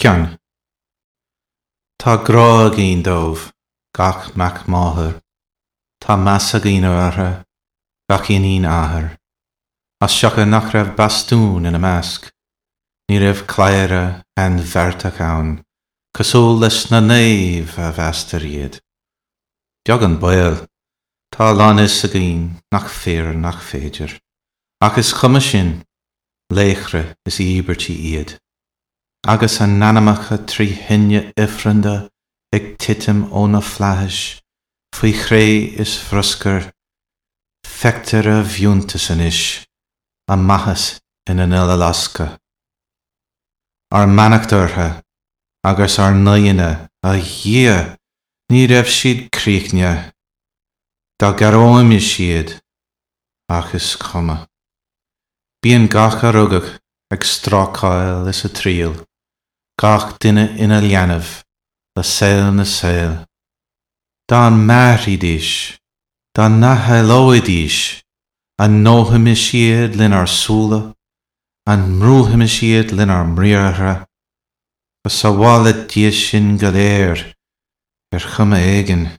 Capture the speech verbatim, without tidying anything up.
Ceann. Tá grá againn dóibh, gach mac máthar. Tá meas againn orthu, gach iníon athar. As siocair nach raibh bastún ina measc, ní raibh cladhaire ainbheartach ann, cosúil leis na naoimh a mheastar iad. Beag an baol, tá a lán fhios againn nach fíor nach féidir, ach is cuma sin, laochra is íobairtí iad. Agus a n-anamacha trí thine ifreanda ag titim ó na flaithis, faoi chré is bhruscar, feictear a bhfiúntas anois, a maitheas ina n-uileloscadh. Ár mbeannacht orthu agus ár n-aíonna, a Dhia, ní raibh siad críochnaithe. Dá gcorróimis iad, ach is cuma. Bíonn gach a rugadh ag strácáil is ag triall, gach duine ina leanbh le saol na saol. Dá mairfidís, dá n-athshaolóidís, an ndóimis iad lenár súile, an mbrúimis iad lenár mbriathra, go sábhála Dia sinn go léir ar chuma éigin.